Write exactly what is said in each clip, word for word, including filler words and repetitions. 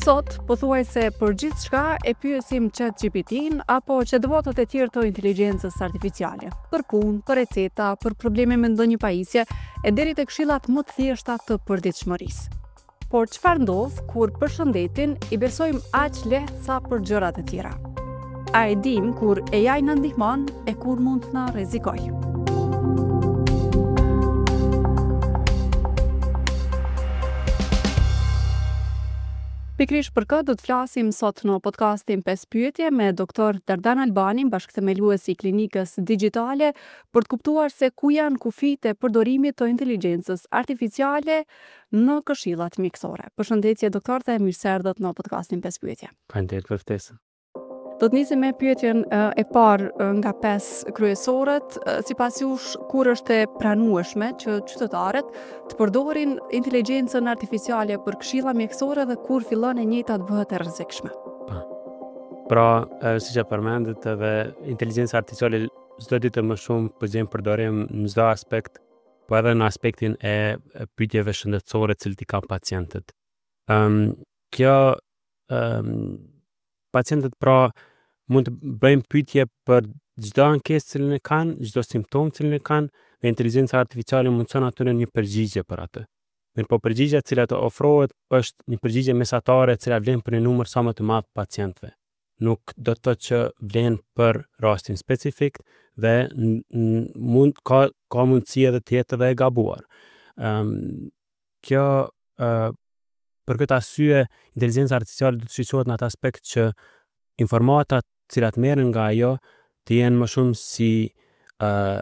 Sot, pothuajse për gjithçka e pyesim Chat G P T-n apo chatbotët e tjerë të inteligjencës artificiale. Për punë, për receta, për probleme me ndonjë pajisje, e deri te këshillat më të thjeshta të përditshmërisë. Por çfarë ndodh kur për shëndetin i besojmë aq lehtë sa për gjërat e tjera? A e dim kur A I na ndihmon e kur mund të na rrezikojë? Pikërisht për këtë do të flasim sot në podcastin pesë pyetje me doktor Dardan Albani, bashkëthemelues i klinikës digjitale, për të kuptuar se ku janë kufijtë e përdorimit të inteligjencës artificiale në këshillat mjekësore. Përshëndetje, doktor, dhe mirë se erdhët në podcastin pesë pyetje. Faleminderit për ftesën. Do të nisim me pyetjen e parë nga pesë kryesoret. Sipas jush, kur është e pranueshme që qytetarët të përdorin inteligjencën artificiale për këshilla mjekësore dhe kur fillon e njëjta të bëhet e rrezikshme? Po. Pra, siç e përmendët, edhe inteligjenca artificiale çdo ditë më shumë po gjen përdorim në çdo aspekt, po edhe në aspektin e pyetjeve shëndetësore të cilët i kanë pacientët. Um, kjo um, pacientët pra mund të bëjnë pyetje për çdo ankesë cilën e kanë, çdo simptomë cilën e kanë, dhe inteligjenca artificiale mundson atyre një përgjigje për atë. Mirë po përgjigja e cila të ofrohet është një përgjigje mesatare e cila vlen për një numër sa më të madh pacientëve. Nuk do të thotë që vlen për rastin specifik dhe mund ka ka mundësi edhe të jetë edhe e gabuar. Ëm um, kjo uh, për këtë arsye inteligjenca artificiale do të shikohet në atë aspekt që informatat të cilat merren nga ajo të jenë më shumë si uh,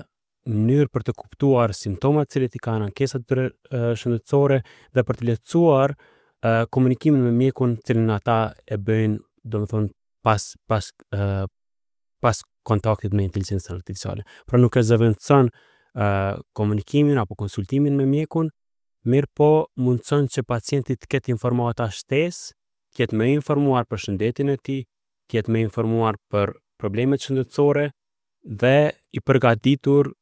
mënyrë për të kuptuar simptomat të cilat i kanë, ankesat të uh, shëndetësore dhe për të lehtësuar uh, komunikimin me mjekun të cilin ata e bëjnë, domethënë, pas pas uh, pas kontaktit me inteligjencën artificiale. Pra, nuk e zëvendëson uh, komunikimin apo konsultimin me mjekun, mirë po mundëson që pacienti të ketë informata shtesë, të jetë më informuar për shëndetin e tij, të jetë më informuar për problemet shëndetësore dhe i përgatitur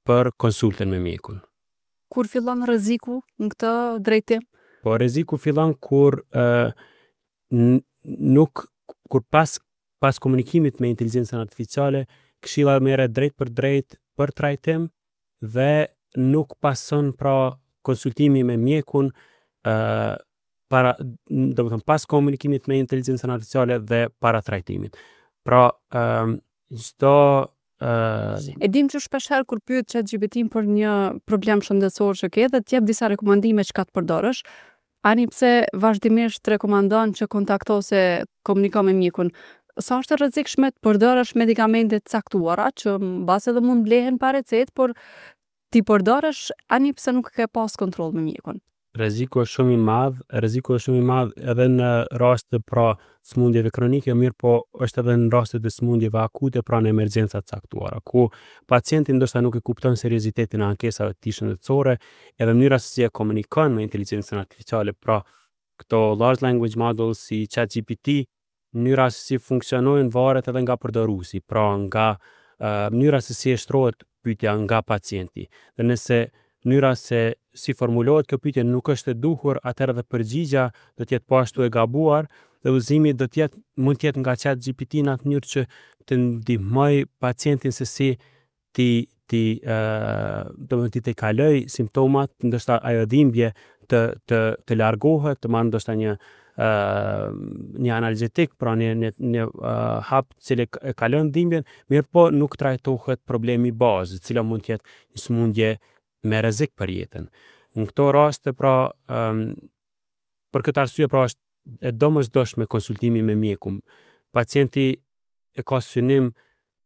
për konsultën me mjekun. Kur fillon rreziku në këtë drejtim? Po, rreziku fillon kur uh, nuk kur pas pas komunikimit me inteligjencën artificiale, këshilla merret drejt për drejt për trajtim dhe nuk pason pra konsultimi me mjekun uh, para, do të thënë, pas komunikimit me inteligjencën artificiale dhe para trajtimit. Pra, ëm çdo uh, E dim që shpesh herë kur pyet Chat G P T për një problem shëndetësor që ke dhe të jep disa rekomandime çka të përdorësh, ani pse vazhdimisht rekomandon që kontakto ose komuniko me mjekun. Sa është e rrezikshme të përdorësh medikamente të caktuara që mbase edhe mund blehen pa recetë, por ti përdorësh ani pse nuk ke pas kontroll me mjekun? Rreziku është shumë i madh, rreziku është shumë i madh edhe në raste, pra, sëmundjeve kronike, mirë po është edhe në rastet e sëmundjeve akute, pra në emergjenca të caktuara, ku pacienti ndoshta nuk e kupton seriozitetin e ankesave të tij shëndetësore, edhe mënyra se si e komunikon me inteligjencën artificiale, pra këto large language models si Chat G P T, mënyra se si funksionojnë varet edhe nga përdoruesi, pra nga uh, mënyra se si e shtrohet pyetja nga pacienti. Dhe nëse mënyra se si formulohet kjo pyetje nuk është e duhur, atëherë edhe përgjigja do të jetë po ashtu e gabuar dhe udhëzimi do të jetë mund të jetë nga Chat G P T në atë mënyrë që të ndihmoj pacientin se si ti ti ë do të të kaloj simptomat, ndoshta ajo dhimbje të të të largohet, të marrë ndoshta një ë një analgetik, pra një një një uh, hap cili e kalon dhimbjen, mirë po nuk trajtohet problemi bazë, i cila mund të jetë një sëmundje me rrezik për jetën. Në këto raste, pra, um, për këtë arsye, pra, është e domosdoshme konsultimi me mjekun. Pacienti e ka synim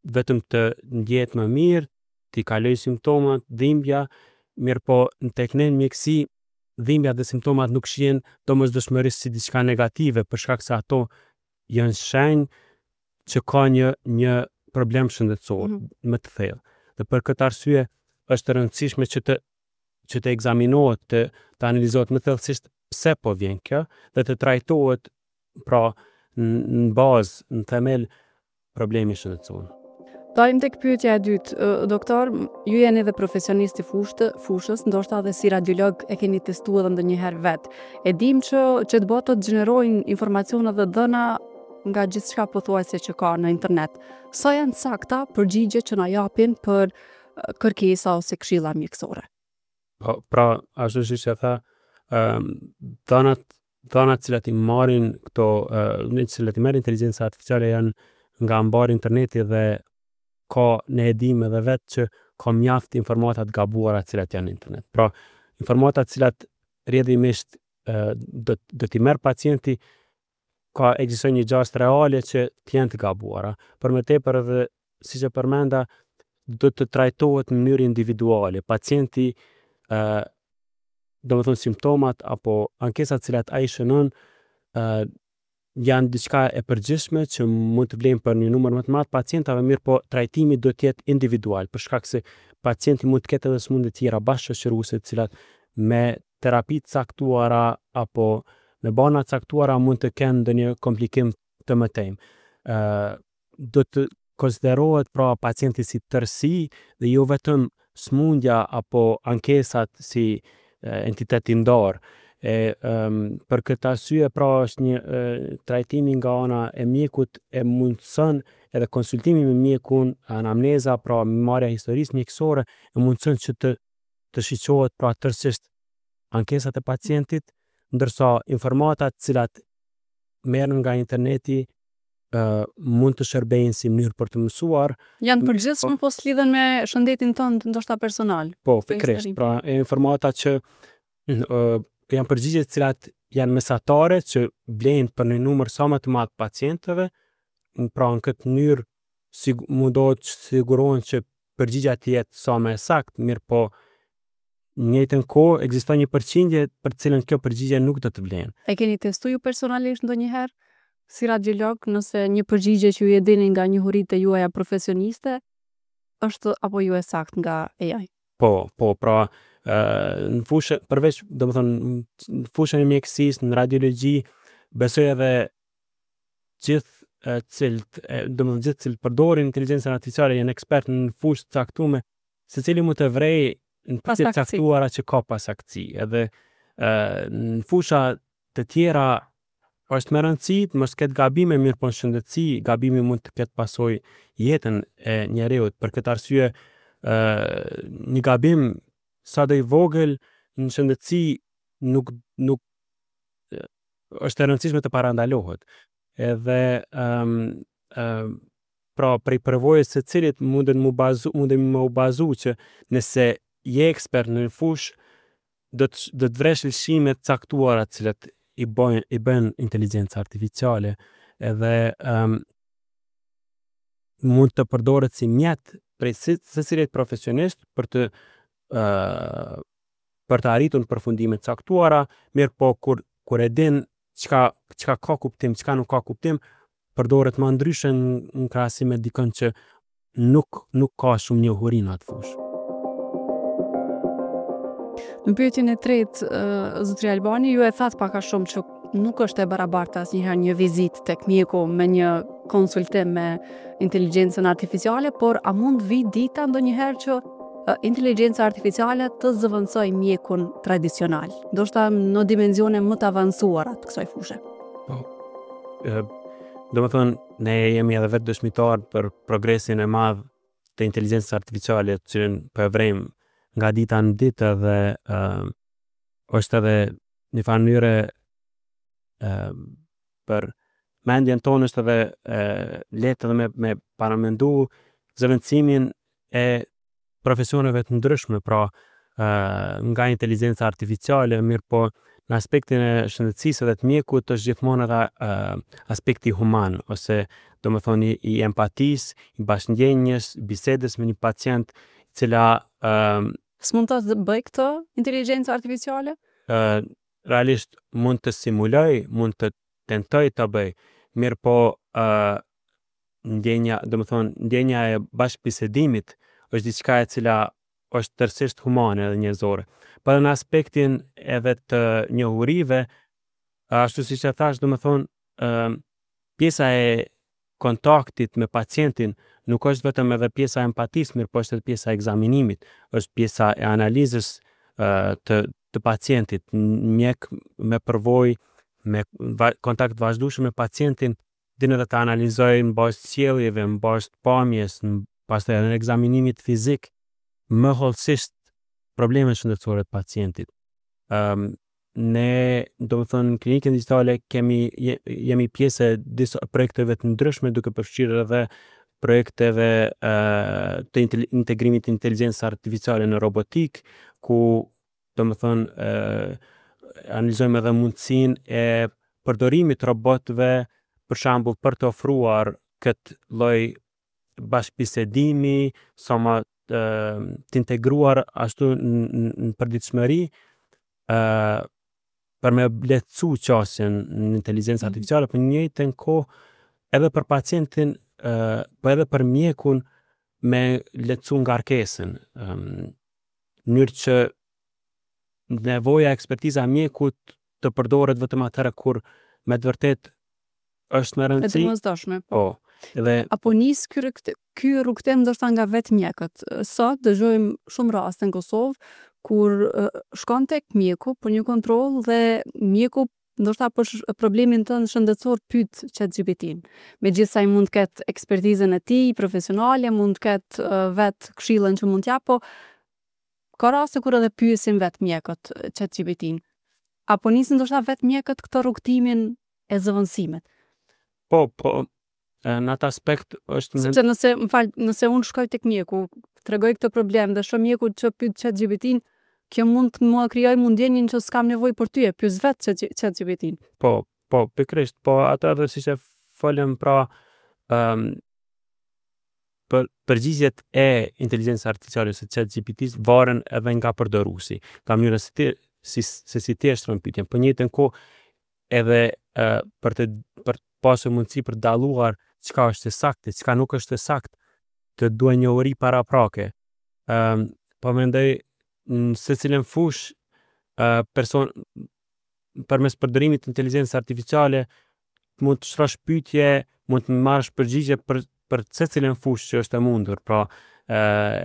vetëm të ndjehet më mirë, t'i kaloj simptomat, dhimbja, mirë po në tek ne në mjekësi dhimbja dhe simptomat nuk shihen domosdoshmërisht si diçka negative, për shkak se ato janë shenjë që ka një një problem shëndetësor mm -hmm. më të thellë. Dhe për këtë arsye është e rëndësishme që të që të ekzaminohet, të, të analizohet më thellësisht pse po vjen kjo dhe të trajtohet, pra, në bazë, në themel problemi shëndetësor. Dalim tek pyetja e dytë, doktor, ju jeni edhe profesionist i fushtë, fushës, ndoshta edhe si radiolog e keni testuar edhe ndonjëherë vet. E dim që chatbotët gjenerojnë informacione dhe dhëna nga gjithçka pothuajse që ka në internet. Sa janë sakta përgjigje që na japin për kërkesa ose këshilla mjekësore? Po, pra, ashtu siç e tha, ëm dhanat dhanat cilat i marrin këto, në cilat i merr inteligjenca artificiale janë nga mbar interneti dhe ka, ne e dimë edhe vetë që ka mjaft informata të gabuara të cilat janë në internet. Pra, informata të cilat rrjedhimisht do do t'i merr pacienti, ka ekziston një gjasë reale që të jenë të gabuara. Për më tepër edhe siç e përmenda, do të trajtohet në mënyrë individuale. Pacienti ë do të thonë simptomat apo ankesat cilat ai shënon ë janë diçka e përgjithshme që mund të vlejnë për një numër më të madh pacientave, mirë po trajtimi do të jetë individual, për shkak se pacienti mund të ketë edhe sëmundje tjera bashkëshoqëruese të cilat me terapi të caktuara apo me barna të caktuara mund të kenë ndonjë komplikim të mëtejmë. Ë do të konsiderohet pra pacienti si tërësi dhe jo vetëm sëmundja apo ankesat si entitet i ndarë. E um, për këtë arsye pra është një e, trajtimi nga ana e mjekut e mundëson edhe konsultimi me mjekun, anamneza, pra marrja e historisë mjekësore e mundëson që të të shiqohet pra tërësisht ankesat e pacientit, ndërsa informatat cilat merren nga interneti uh, mund të shërbejnë si mënyrë për të mësuar. Janë të përgjithshme, po s'lidhen me shëndetin tënd, ndoshta personal. Po, pikërisht, pra e informata që uh, janë përgjigje të cilat janë mesatare që vlejnë për një numër sa më të madh pacientëve, pra në këtë mënyrë sig mundohet të sigurohen që përgjigja të jetë sa më e saktë, mirë po në njëjtën kohë ekziston një përqindje për të cilën kjo përgjigje nuk do të vlen. E keni testuar ju personalisht ndonjëherë si radiolog, nëse një përgjigje që ju e dini nga njohuritë e juaja profesioniste është apo jo e saktë nga A I? Po, po, pra në fushë përveç, do të thonë, në fushën e mjekësisë, në radiologji, besoj edhe gjithë cilët, do të thonë gjithë cilët përdorin inteligjencën artificiale janë ekspertë në fushë të caktuar, secili mund të vrej në pjesë të caktuara që ka pasaktësi. Edhe ë në fusha të tjera është me rëndësi të mos ketë gabime, mirë po në shëndetësi gabimi mund të ketë pasoj jetën e njeriut. Për këtë arsye ë një gabim sado i vogël në shëndetësi nuk nuk është e rëndësishme të parandalohet. Edhe ëm um, pra prej përvojës së cilit munden mu bazu, mundemi më u bazu që nëse je ekspert në një fushë, do të do të vresh lëshime të caktuara të cilat i bën i bën inteligjenca artificiale, edhe um, mund të përdoret si mjet prej secilit profesionist për të uh, për të arritur në përfundime të caktuara, mirë po kur kur e din çka çka ka kuptim, çka nuk ka kuptim, përdoret më ndryshe në, në krahasim me dikën që nuk nuk ka shumë njohuri në atë fushë. Në pyetjen e tretë, uh, zotri Albani, ju e thatë pak a shumë që nuk është e barabartë asnjëherë një vizitë tek mjeku me një konsultim me inteligjencën artificiale, por a mund vi dita ndonjëherë që inteligjenca artificiale të zëvendësoj mjekun tradicional, ndoshta në dimensione më të avancuara të kësaj fushe? Po. Ë, do të thonë, ne jemi edhe vetë dëshmitar për progresin e madh të inteligjencës artificiale, të cilën po e vrejmë nga dita në ditë, edhe ë është edhe një farë mënyre ë për mendjen tonë është edhe e, lehtë edhe me me paramendu zëvendësimin e profesioneve të ndryshme, pra ë nga inteligjenca artificiale, mirë po në aspektin e shëndetësisë edhe të mjekut është gjithmonë edhe uh, aspekti human ose do të thonë i, i empatisë, i bashkëndjenjës, bisedës me një pacient, cila uh, S'mund ta bëj këtë inteligjenca artificiale? Uh, realisht mund të simuloj, mund të tentoj ta bëj, mirë po uh, ndjenja, do të thonë, ndjenja e bashkëbisedimit është diçka e cila është tërësisht humane dhe njerëzore. Po edhe në aspektin edhe të njohurive, ashtu siç e thash, do të thonë, ë pjesa e kontaktit me pacientin nuk është vetëm edhe pjesa e empatisë, mirë po është edhe pjesa e ekzaminimit, është pjesa e analizës uh, të të pacientit. Mjek me përvojë, me va kontakt vazhdueshëm me pacientin, din edhe të analizojë në bazë të sjelljeve, në bazë të pamjes, në pastaj edhe në ekzaminimit fizik, më hollësisht problemet shëndetësore të pacientit. Um, ne, do të thënë, në klinikën digjitale kemi jemi pjesë e disa projekteve të ndryshme, duke përfshirë edhe projekteve uh, të integrimit të inteligjencës artificiale në robotik, ku do të thënë uh, analizojmë edhe mundësinë e përdorimit të robotëve, për shembull, për të ofruar këtë lloj bashkëbisedimi sa më të, të integruar ashtu në, në përditshmëri, ë për me lehtësu qasjen në inteligjencë mm. artificiale, por në njëjtën kohë edhe për pacientin, ë po edhe për mjekun me lehtësu ngarkesën, ë në mënyrë që nevoja, ekspertiza e mjekut të përdoret vetëm atëherë kur me të vërtet është me rëndësi. E domosdoshme. Po. Dhe apo nis ky ky rrugëtim ndoshta nga vetë mjekët. Sot dëgjojmë shumë raste në Kosovë kur shkon tek mjeku për një kontroll dhe mjeku ndoshta për problemin tënd shëndetësor pyet ChatGPT-n. Megjithëse ai mund të ketë ekspertizën e tij profesionale, mund të ketë uh, vetë këshillën që mund t'jap, po ka raste kur edhe pyesin vetë mjekët ChatGPT-n. Apo nisin ndoshta vetë mjekët këtë rrugëtimin e zëvendësimit. Po, po, në atë aspekt është Sepse nëse, më fal, nëse unë shkoj tek mjeku, tregoj këtë problem dhe shoh mjeku që pyet ChatGPT-n, kjo mund të më krijoj mundjenin që s'kam nevojë për ty, e pyes vetë ChatGPT-n. Po, po, pikërisht, po atë edhe siç e folëm pra, um, për përgjigjet e inteligjencës artificiale ose ChatGPT-s varen edhe nga përdoruesi, nga mënyra se ti si se si ti e shtron pyetjen. Po njëjtën kohë edhe uh, për të për të pasur mundësi për të dalluar çka është e saktë, çka nuk është e saktë, të duhen njohuri paraprake. Ëm um, po mendoj në secilën fushë uh, person përmes përdorimit të inteligjencës artificiale mund të shtrosh pyetje, mund të marrësh përgjigje për për secilën fushë që është e mundur, pra ë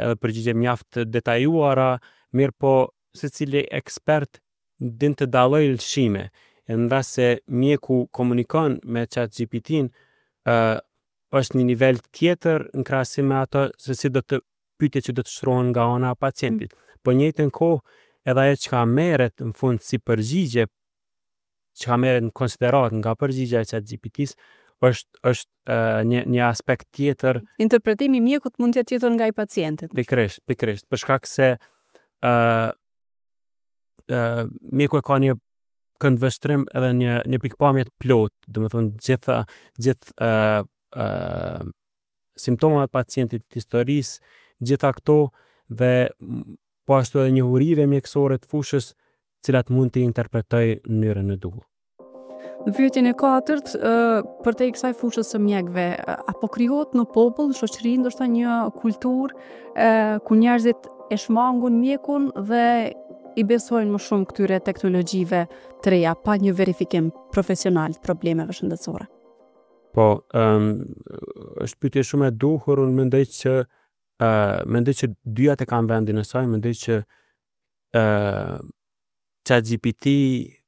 edhe përgjigje mjaft të detajuara, mirë po secili ekspert din të dallojë lëshime. E në rast se mjeku komunikon me ChatGPT-n, ë është një nivel tjetër në krahasim me ato se si do të pyetje që do të shtrohen nga ana e pacientit. Mm. Po njëjtën kohë edhe ajo çka merret në fund si përgjigje, çka merret në konsiderat nga përgjigja e ChatGPT-s, është është uh, një një aspekt tjetër. Interpretimi i mjekut mund të jetë tjetër nga i pacientit. Pikërisht, pikërisht, për shkak se ë uh, uh, mjeku e ka një këndvështrim edhe një një pikëpamje të plotë, do të thonë gjitha gjithë ë uh, uh, simptomat e pacientit, historisë, gjitha këto dhe po ashtu edhe njohurive mjekësore të fushës, cilat mund të interpretoj në mënyrën e duhur. Në pyetjen e katërt, për te kësaj fushës së mjekëve, apo krijohet në popull, në shoqëri, ndoshta një kulturë ku njerëzit e shmangun mjekun dhe i besojnë më shumë këtyre teknologjive të reja pa një verifikim profesional të problemeve shëndetësore? Po, um, është pyetje shumë e duhur, unë mendoj që uh, mendoj që dyjat e kanë vendin e saj, mendoj që uh, ChatGPT,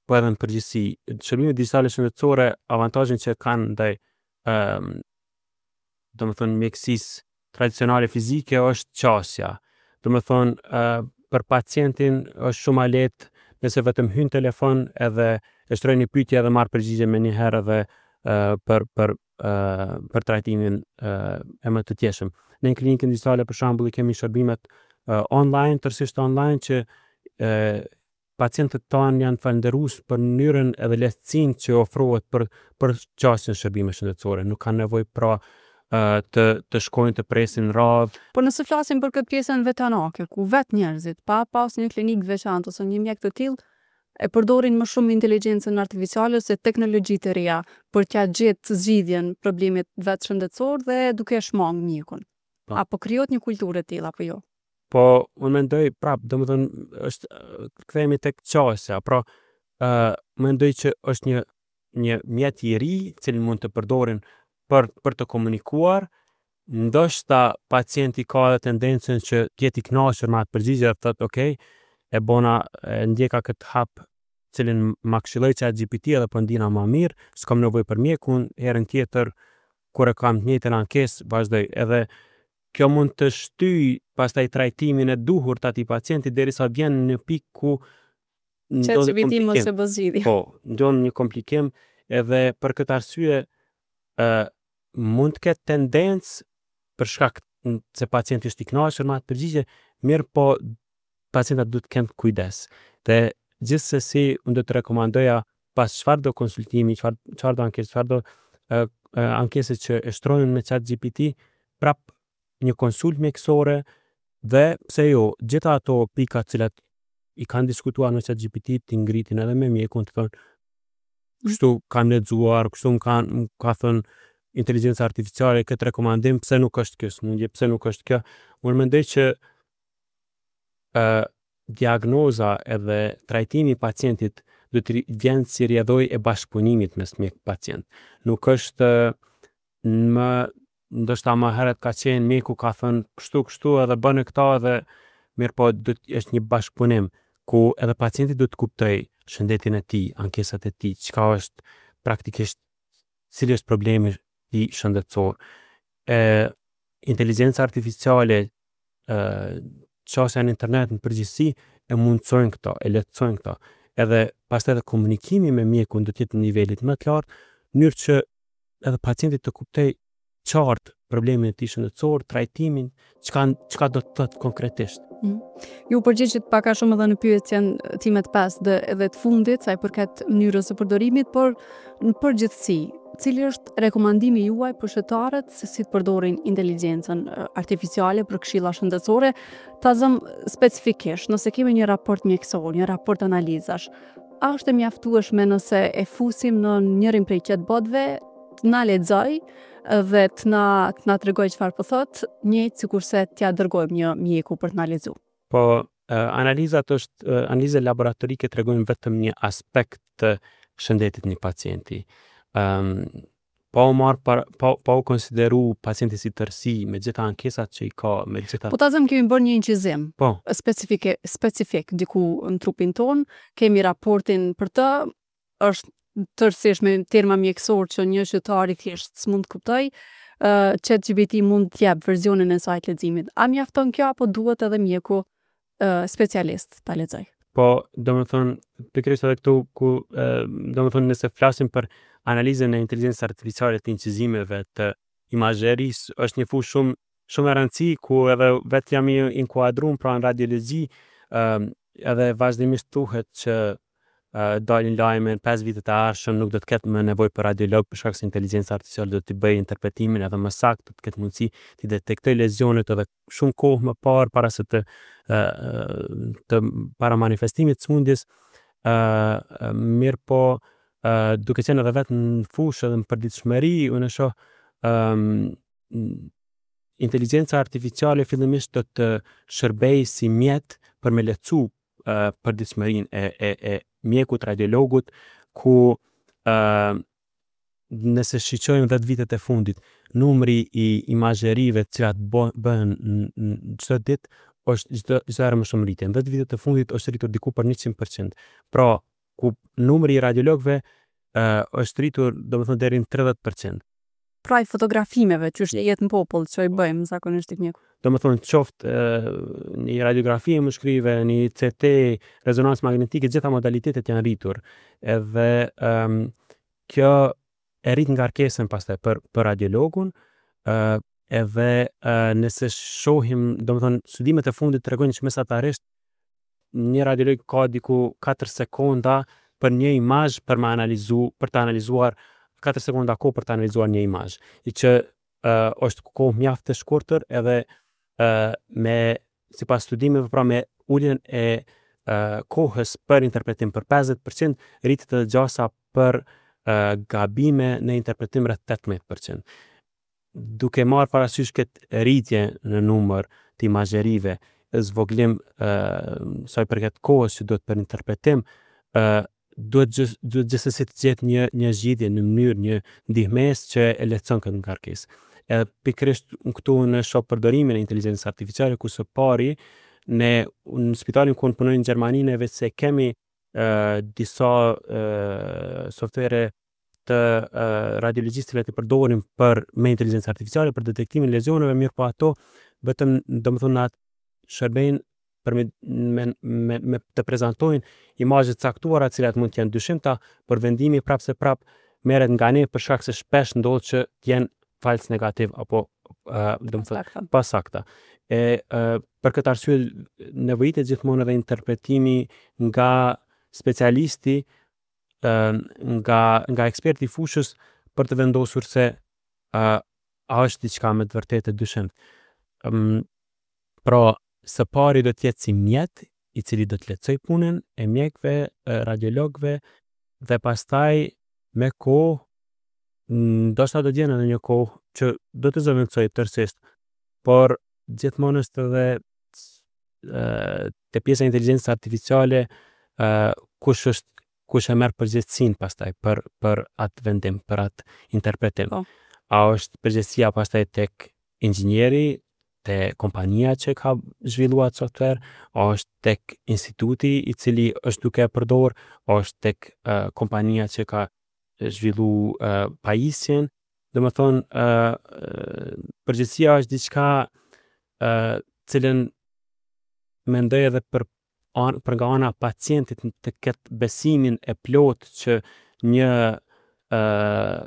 po edhe në përgjithësi, shërbimet digjitale shëndetësore, avantazhin që kanë ndaj ëm um, do të thonë mjekësisë tradicionale fizike është qasja. Do të thonë uh, për pacientin është shumë më lehtë nëse vetëm hyn telefon edhe e shtroj një pyetje edhe marr përgjigje më një herë edhe uh, për për uh, për trajtimin uh, e më të tjeshëm. Ne në klinikën digjitale për shembull i kemi shërbimet uh, online, tërësisht online, që uh, pacientët tanë janë falënderues për mënyrën edhe lehtësinë që ofrohet për për qasjen në shërbime shëndetësore. Nuk kanë nevojë pra të të shkojnë të presin radhë. Po nëse flasim për këtë pjesën vetanake, ku vetë njerëzit, pa pas një klinikë veçantë ose një mjek të tillë, e përdorin më shumë inteligjencën artificiale ose teknologji të reja për t'ia gjetë zgjidhjen problemit vetë shëndetësor dhe duke e shmang mjekun. Po. Apo krijohet një kulturë e tillë apo jo? Po, unë mendoj prap, domethënë është kthehemi tek qasja, pra ë uh, mendoj që është një një mjet i ri, cilin mund të përdorin për për për të komunikuar, ndoshta pacienti ka edhe tendencën që të jetë i kënaqur me atë përgjigje dhe thotë ok, e bona, e ndjeka këtë hap cilin ma këshilloi Chat G P T edhe po ndina ma mirë, s'kam nevojë për mjekun, herën tjetër kur e kam të njëjtën ankesë vazhdoj. Edhe kjo mund të shtyj pastaj trajtimin e duhur të atij pacienti derisa vjen në pikë ku ndodh Chat G P T mos komplikim. e bë zgjidhje. Po, ndodh një komplikim edhe për këtë arsye ë mund të ketë tendencë për shkak se pacienti është i kënaqur me atë përgjigje, mirë po pacientat duhet të kenë kujdes. Dhe gjithsesi unë do të rekomandoja pas çfarë do konsultimi, çfarë çfarë do ankesë, çfarë do ë ankese që e shtrojnë me Chat G P T, prap një konsult mjekësore dhe pse jo, gjitha ato pika të cilat i kanë diskutuar me Chat G P T t'i ngritin edhe me mjekun, të thonë kështu kam lexuar, kështu më kanë më ka thënë inteligjenca artificiale këtë rekomandim, pse nuk është kjo sëmundje, pse nuk është kjo. Unë mendoj që ë diagnoza edhe trajtimi i pacientit do të vjen si rrjedhojë e bashkëpunimit mes mjek pacient. Nuk është më ndoshta më herët ka qenë mjeku ka thënë kështu kështu edhe bënë këta edhe mirë po do të është një bashkëpunim ku edhe pacienti do të kuptoj shëndetin e tij, ankesat e tij, çka është praktikisht, cili është problemi i shëndetësor. E inteligjenca artificiale, ë qasja në internet në përgjithësi e mundësojnë këto, e lehtësojnë këto. Edhe pastaj edhe komunikimi me mjekun do të jetë në nivelit më të lartë, në mënyrë që edhe pacienti të kuptoj qartë problemin e tij shëndetësor, trajtimin, çka çka do të thotë konkretisht. Mm. Ju përgjigjët pak a shumë edhe në pyetjen time të pestë dhe edhe të fundit sa i përket mënyrës së përdorimit, por në përgjithësi, cili është rekomandimi juaj për qytetarët se si të përdorin inteligjencën artificiale për këshilla shëndetësore? Ta zëm specifikisht, nëse kemi një raport mjekësor, një raport analizash, a është e mjaftueshme nëse e fusim në njërin prej chatbotëve, të na lexoj dhe të na të na tregoj çfarë po thot, njëjtë sikurse t'ja dërgojmë një mjeku për të na lexuar? Po, analizat është analizat laboratorike tregojnë vetëm një aspekt të shëndetit një pacienti. Um, pa u marr para, pa, pa u konsideru pacienti si tërësi me gjitha ankesat që i ka, me gjitha. Po ta zëm kemi bërë një incizim. Po. Specifike specifik diku në trupin ton, kemi raportin për të, është tërësisht me terma mjekësor që një qytetar i thjesht s'mund të kuptoj. Uh, Chat G P T mund të jap versionin e saj të leximit. A mjafton kjo apo duhet edhe mjeku uh, specialist ta lexoj? Po, do më thonë, pikërisht edhe këtu ku, do më thonë, nëse flasim për analizën e inteligjencës artificiale të incizimeve, të imazherisë, është një fushë shumë shumë e rëndësi ku edhe vetë jam i inkuadruar pra në radiologji, ë edhe vazhdimisht thuhet që uh, dalin lajme në pesë vitet e ardhshëm nuk do të ketë më nevojë për radiolog për shkak se inteligjenca artificiale do të bëjë interpretimin edhe më saktë, do të ketë mundësi të detektoj lezionet edhe shumë kohë më parë para se të të para manifestimit të sëmundjes. ë mirë po, ë duke qenë edhe vetë në fushë edhe në përditshmëri, unë e shoh ë inteligjenca artificiale fillimisht do të shërbej si mjet për me lehtësu uh, përditshmërinë e, e, e mjekut, radiologut, ku uh, nëse shiqojmë dhjetë vitet e fundit, numri i imazherive të cilat bëhen në çdo ditë është çdo çdo herë më shumë rritje. Në dhjetë vitet e fundit është rritur diku për njëqind për qind. Pra, ku numri i radiologëve uh, është rritur, domethënë, deri në tridhjetë për qind. Pra i fotografimeve që është jetë në popull që i bëjmë zakonisht tek mjeku. Do më thonë, qoftë një radiografi e mushkërive, një C T, rezonancë magnetike, gjitha modalitetet janë rritur. Edhe um, kjo e rrit ngarkesën pastaj për për radiologun, ë edhe uh, nëse shohim, do më thonë, studimet e fundit tregojnë që mesatarisht një radiolog ka diku katër sekonda për një imazh për me analizu, për të analizuar, katër sekonda kohë për të analizuar një imazh, i që uh, është kohë mjaft e shkurtër edhe uh, me sipas studimeve, pra me uljen e uh, kohës për interpretim për pesëdhjetë për qind rritet edhe gjasa për uh, gabime në interpretim rreth tetëmbëdhjetë për qind. Duke marrë parasysh këtë rritje në numër të imazherive, zvoglim uh, sa i përket kohës që duhet për interpretim, uh, duhet gjithë duhet gjithsesi të gjetë një një zgjidhje në mënyrë, një ndihmesë që e lehtëson këtë ngarkesë. Edhe pikërisht këtu unë shoh përdorimin e inteligjencës artificiale ku së pari ne në spitalin ku unë punoj në Gjermani ne veç se kemi uh, disa uh, softuere të uh, radiologjisë të cilat i përdorim për me inteligjencë artificiale për detektimin e lezioneve, mirë po ato vetëm domethënë atë shërbejnë për me, me, me, me të prezantojnë imazhe të caktuara të cilat mund të jenë dyshimta, por vendimi prapë se prapë merret nga ne për shkak se shpesh ndodh që të jenë fals negativ apo uh, domethënë pasakta. E uh, për këtë arsye nevojitet gjithmonë edhe interpretimi nga specialisti, uh, nga nga eksperti i fushës për të vendosur se uh, a është diçka me të vërtetë e dyshimtë. Um, pra, së pari do të jetë si mjet i cili do të lehtësoj punën e mjekëve, radiologëve dhe pastaj me kohë ndoshta do të jenë edhe një kohë që do të zëvendësoj tërësisht, por gjithmonë është edhe te pjesa e inteligjencës artificiale kush është kush e merr përgjegjësinë pastaj për për atë vendim, për atë interpretim. Po. A është përgjegjësia pastaj tek inxhinieri, te kompania që ka zhvilluar atë software, a është tek instituti i cili është duke e përdor, a është tek uh, kompania që ka zhvillu uh, pajisjen. Do të thonë uh, përgjegjësia është diçka uh, cilën mendoj edhe për an, për nga ana pacientit të ketë besimin e plotë që një uh,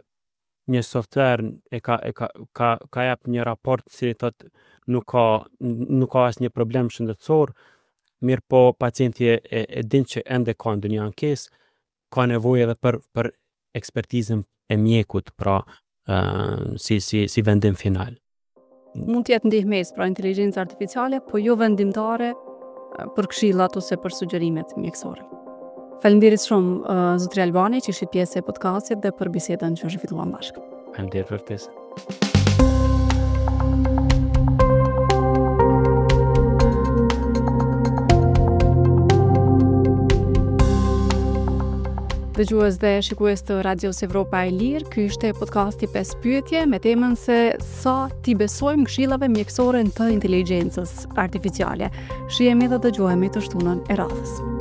një software e ka e ka ka ka jap një raport si thot nuk ka nuk ka asnjë problem shëndetësor, mirë po pacienti e, e, e din që ende ka ndonjë ankesë, ka nevojë edhe për për ekspertizën e mjekut, pra uh, si si si vendim final. Mund të jetë ndihmesë, pra inteligjenca artificiale, po jo vendimtare për këshillat ose për sugjerimet mjekësore. Faleminderit shumë uh, zotri Albani që ishit pjesë e podcastit dhe për bisedën që zhvilluam bashkë. Faleminderit për ftesën. Dëgjues dhe shikues të Radios Evropa e Lirë, ky ishte podcasti pesë pyetje me temën se sa t'i besojmë këshillave mjekësore të inteligjencës artificiale. Shihemi dhe dëgjohemi të shtunën e radhës.